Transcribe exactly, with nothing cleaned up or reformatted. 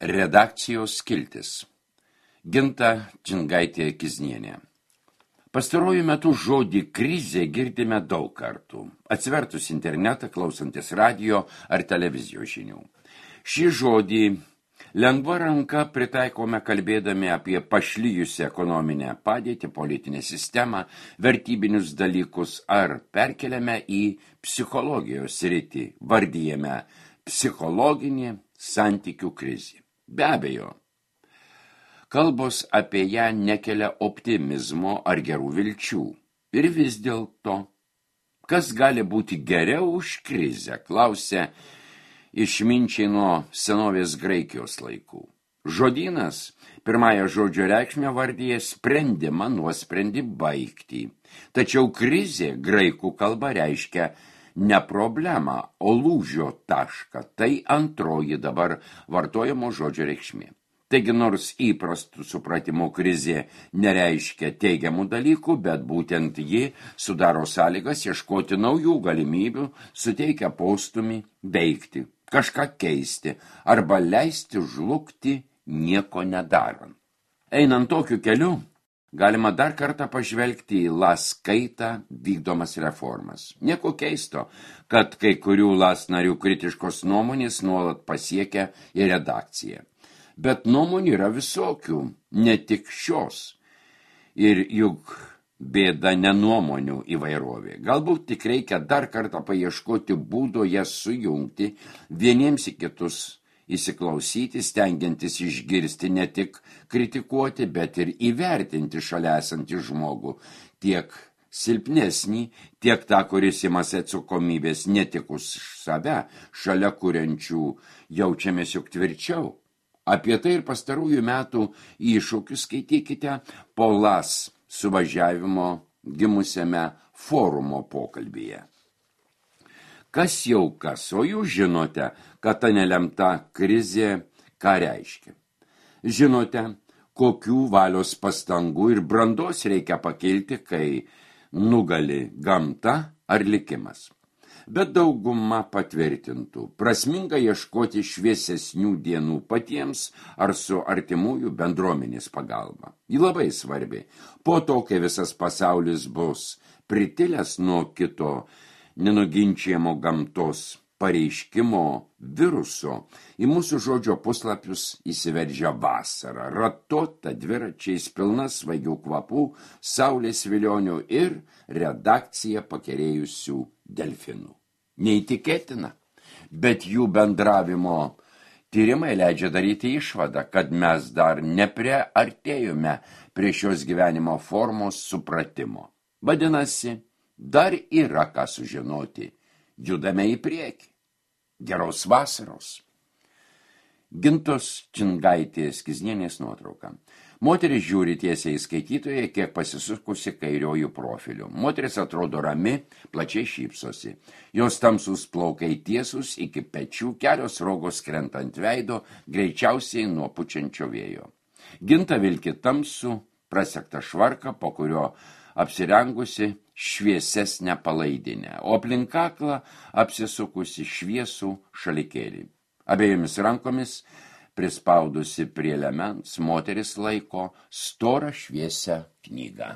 Redakcijos skiltis. Ginta Čingaitė-Kiznienė. Pastaruoju metu žodį krizė girdime daug kartų, atsivertus internetą, klausantis radio ar televizijos žinių. Šį žodį lengva ranka pritaikome kalbėdami apie pašlijusią ekonominę padėtį, politinę sistemą, vertybinius dalykus ar perkeliame į psichologijos sritį, vardijame psichologinį santykių krizį. Be abejo, kalbos apie ją nekelia optimizmo ar gerų vilčių. Ir vis dėlto, kas gali būti geriau už krizę, klausia išminčiai nuo senovės Graikijos laikų. Žodynas pirmąją žodžio reikšmę vardyje sprendimą, nuosprendį, baigtį. Tačiau krizė graikų kalba reiškia ne problemą, o lūžio tašką. Tai antroji dabar vartojamo žodžio reikšmė. Taigi nors įprastų supratimo krizė nereiškia teigiamų dalykų, bet būtent ji sudaro sąlygas ieškoti naujų galimybių, suteikia postumį veikti, kažką keisti arba leisti žlugti nieko nedarant. Einant tokiu keliu, galima dar kartą pažvelgti į LAS kaitą vykdomas reformas. Nieko keisto, kad kai kurių LAS narių kritiškos nuomonės nuolat pasiekia į redakciją. Bet nuomonių yra visokių, ne tik šios. Ir juk bėda ne nuomonių įvairovė. Galbūt tik reikia dar kartą paieškoti būdo jas sujungti, vieniems į kitus įsiklausyti, stengiantis išgirsti, ne tik kritikuoti, bet ir įvertinti šalia esantį žmogų, tiek silpnesnį, tiek tą, kuris imasi atsakomybės ne tik už save, šalia kuriančių jaučiamės juk tvirčiau. Apie tai ir pastarųjų metų iššūkius skaitykite po LAS suvažiavimo gimusiame forumo pokalbyje. Kas jau kas, o jūs žinote, kad ta nelemta krizė ką reiškia. Žinote, kokių valios pastangų ir brandos reikia pakilti, kai nugali gamta ar likimas. Bet dauguma patvirtintų, prasminga ieškoti šviesesnių dienų patiems ar su artimųjų bendruomenės pagalba. Ji labai svarbi. Po to, kai visas pasaulis bus pritilęs nuo kito nenuginčiamo gamtos pareiškimo viruso, į mūsų žodžio puslapius įsiveržia vasara, ratota dviračiais pilna svaigių kvapų, saulės vilionių ir redakcija pakerėjusių delfinų. Neįtikėtina, bet jų bendravimo tyrimai leidžia daryti išvadą, kad mes dar nepriartėjome prie šios gyvenimo formos supratimo. Vadinasi, dar yra ką sužinoti. Judame į priekį. Geros vasaros. Gintos Čingaitės-Kiznienės nuotrauka. Moteris žiūri tiesiai į skaitytoją, kiek pasisukusi kairiojų profilių. Moteris atrodo rami, plačiai šypsosi. Jos tamsus plaukai tiesus iki pečių, kelios rogos krenta ant veido, greičiausiai nuo pučiančio vėjo. Ginta vilki tamsų, prasektą švarką, po kurio apsirengusi šviesesnę palaidinę, o aplink kaklą apsisukusi šviesų šalikėlį. Abiejomis rankomis prispaudusi prie liemens, moteris laiko storą šviesią knygą.